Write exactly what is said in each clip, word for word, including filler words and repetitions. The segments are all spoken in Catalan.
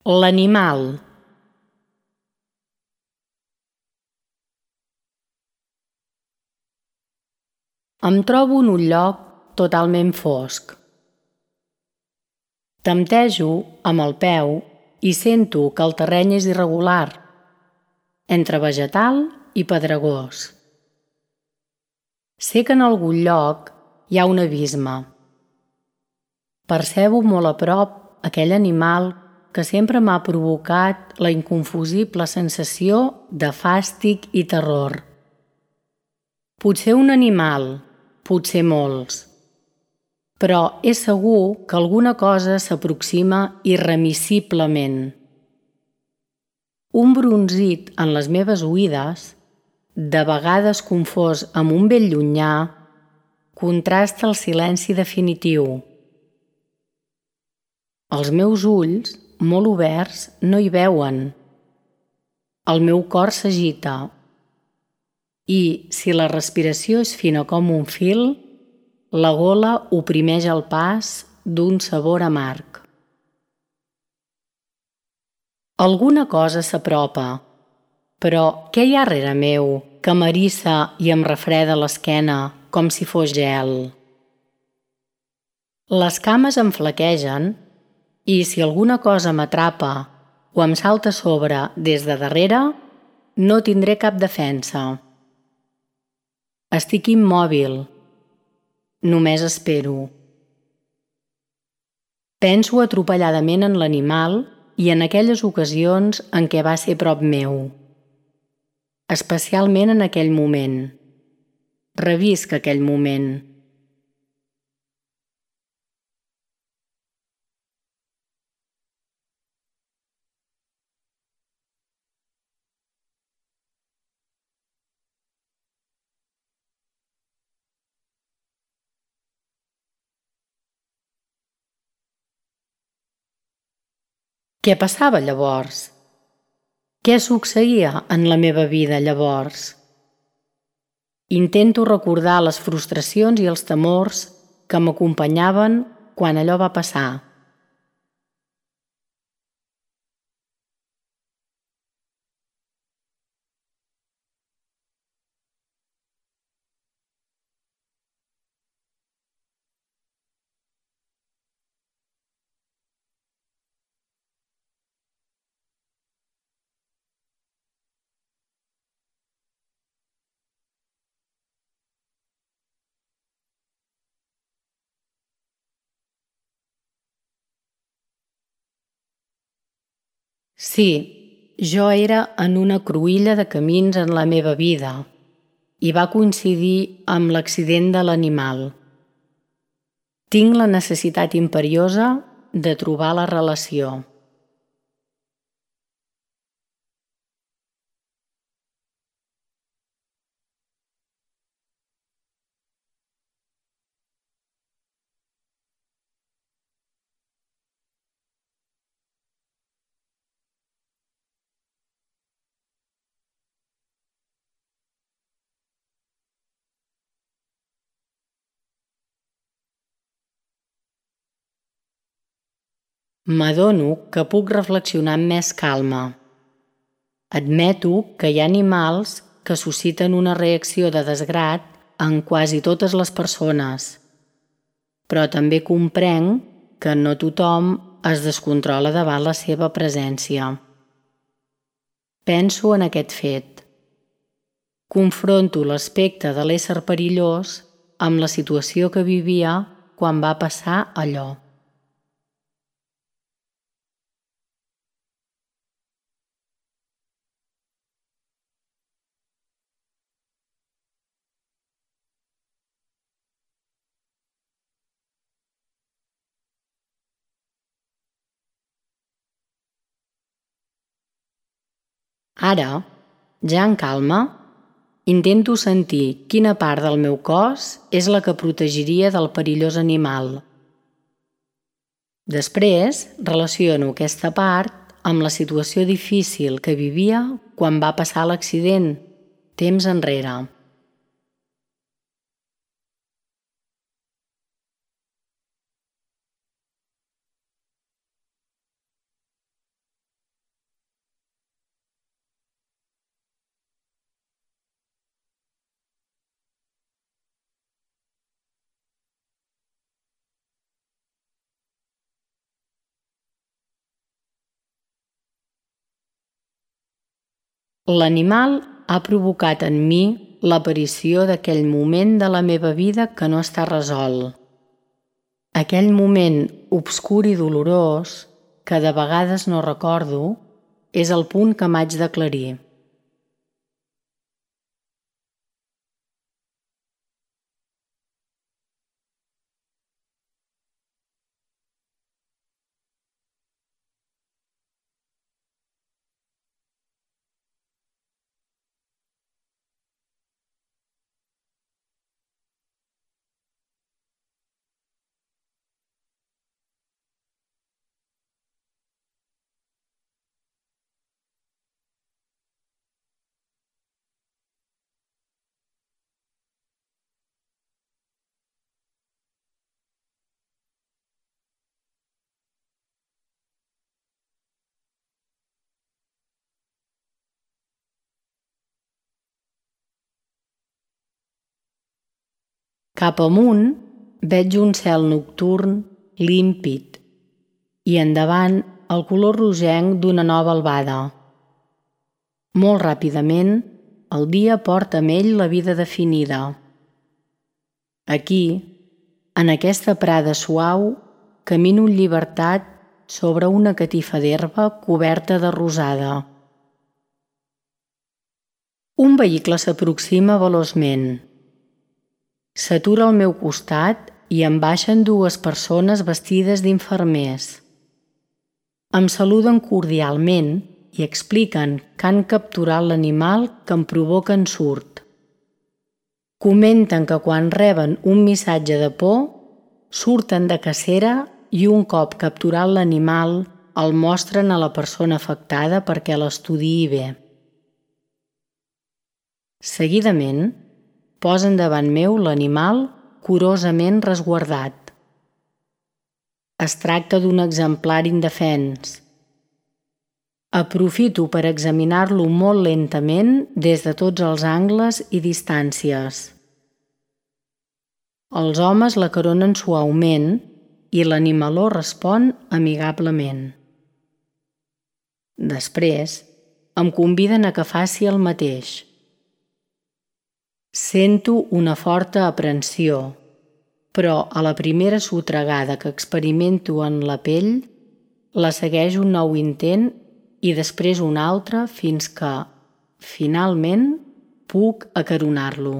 L'animal. Em trobo en un lloc totalment fosc. Temptejo amb el peu i sento que el terreny és irregular, entre vegetal i pedregós. Sé que en algun lloc hi ha un abisme. Percebo molt a prop aquell animal que sempre m'ha provocat la inconfusible sensació de fàstic i terror. Potser un animal, potser molts, però és segur que alguna cosa s'aproxima irremissiblement. Un brunzit en les meves oïdes, de vegades confós amb un vell llunyà, contrasta el silenci definitiu. Els meus ulls, molt oberts, no hi veuen. El meu cor s'agita. I, si la respiració és fina com un fil, la gola oprimeix el pas d'un sabor amarg. Alguna cosa s'apropa, però què hi ha rere meu que m'eriça i em refreda l'esquena com si fos gel? Les cames em flaquegen i si alguna cosa m'atrapa o em salta a sobre des de darrere, no tindré cap defensa. Estic immòbil. Només espero. Penso atropelladament en l'animal i en aquelles ocasions en què va ser prop meu. Especialment en aquell moment. Revisc aquell moment. Què passava llavors? Què succeïa en la meva vida llavors? Intento recordar les frustracions i els temors que m'acompanyaven quan allò va passar. Sí, jo era en una cruïlla de camins en la meva vida i va coincidir amb l'accident de l'animal. Tinc la necessitat imperiosa de trobar la relació. M'adono que puc reflexionar amb més calma. Admeto que hi ha animals que susciten una reacció de desgrat en quasi totes les persones, però també comprenc que no tothom es descontrola davant la seva presència. Penso en aquest fet. Confronto l'aspecte de l'ésser perillós amb la situació que vivia quan va passar allò. Ara, ja en calma, intento sentir quina part del meu cos és la que protegiria del perillós animal. Després, relaciono aquesta part amb la situació difícil que vivia quan va passar l'accident, temps enrere. L'animal ha provocat en mi l'aparició d'aquell moment de la meva vida que no està resolt. Aquell moment obscur i dolorós, que de vegades no recordo, és el punt que m'haig d'aclarir. Cap amunt veig un cel nocturn límpid i endavant el color rogenc d'una nova albada. Molt ràpidament, el dia porta amb ell la vida definida. Aquí, en aquesta prada suau, camino en llibertat sobre una catifa d'herba coberta de rosada. Un vehicle s'aproxima veloçment. S'atura al meu costat i em baixen dues persones vestides d'infermers. Em saluden cordialment i expliquen que han capturat l'animal que em provoca ensurt. Comenten que quan reben un missatge de por, surten de cacera i un cop capturat l'animal el mostren a la persona afectada perquè l'estudiï bé. Seguidament, posen davant meu l'animal curosament resguardat. Es tracta d'un exemplar indefens. Aprofito per examinar-lo molt lentament des de tots els angles i distàncies. Els homes l'acaronen suaument i l'animaló respon amigablement. Després, em conviden a que faci el mateix. Sento una forta aprensió, però a la primera sotregada que experimento en la pell, la segueix un nou intent i després un altre fins que, finalment, puc acaronar-lo.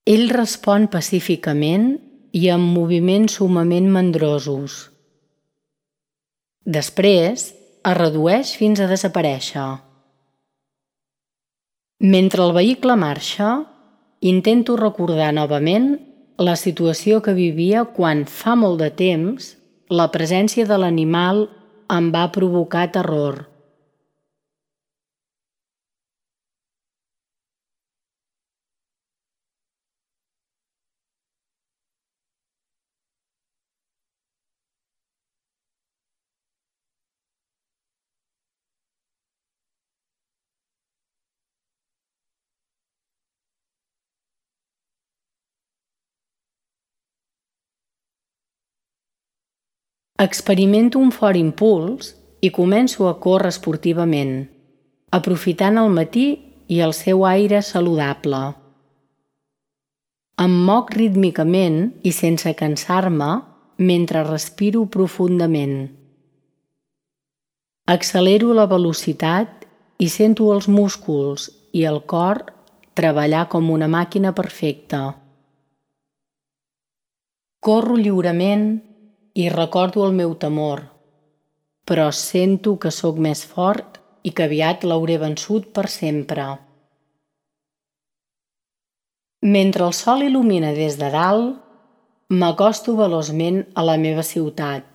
Ell respon pacíficament i amb moviments summament mandrosos. Després, es redueix fins a desaparèixer. Mentre el vehicle marxa, intento recordar novament la situació que vivia quan, fa molt de temps, la presència de l'animal em va provocar terror. Experimento un fort impuls i començo a córrer esportivament, aprofitant el matí i el seu aire saludable. Em moc rítmicament i sense cansar-me mentre respiro profundament. Accelero la velocitat i sento els músculs i el cor treballar com una màquina perfecta. Corro lliurement i recordo el meu temor, però sento que sóc més fort i que aviat l'hauré vençut per sempre. Mentre el sol il·lumina des de dalt, m'acosto veloçment a la meva ciutat,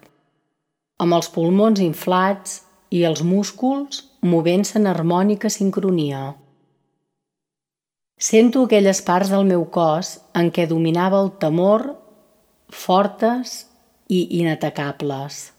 amb els pulmons inflats i els músculs movent-se en harmònica sincronia. Sento aquelles parts del meu cos en què dominava el temor, fortes i inatacables.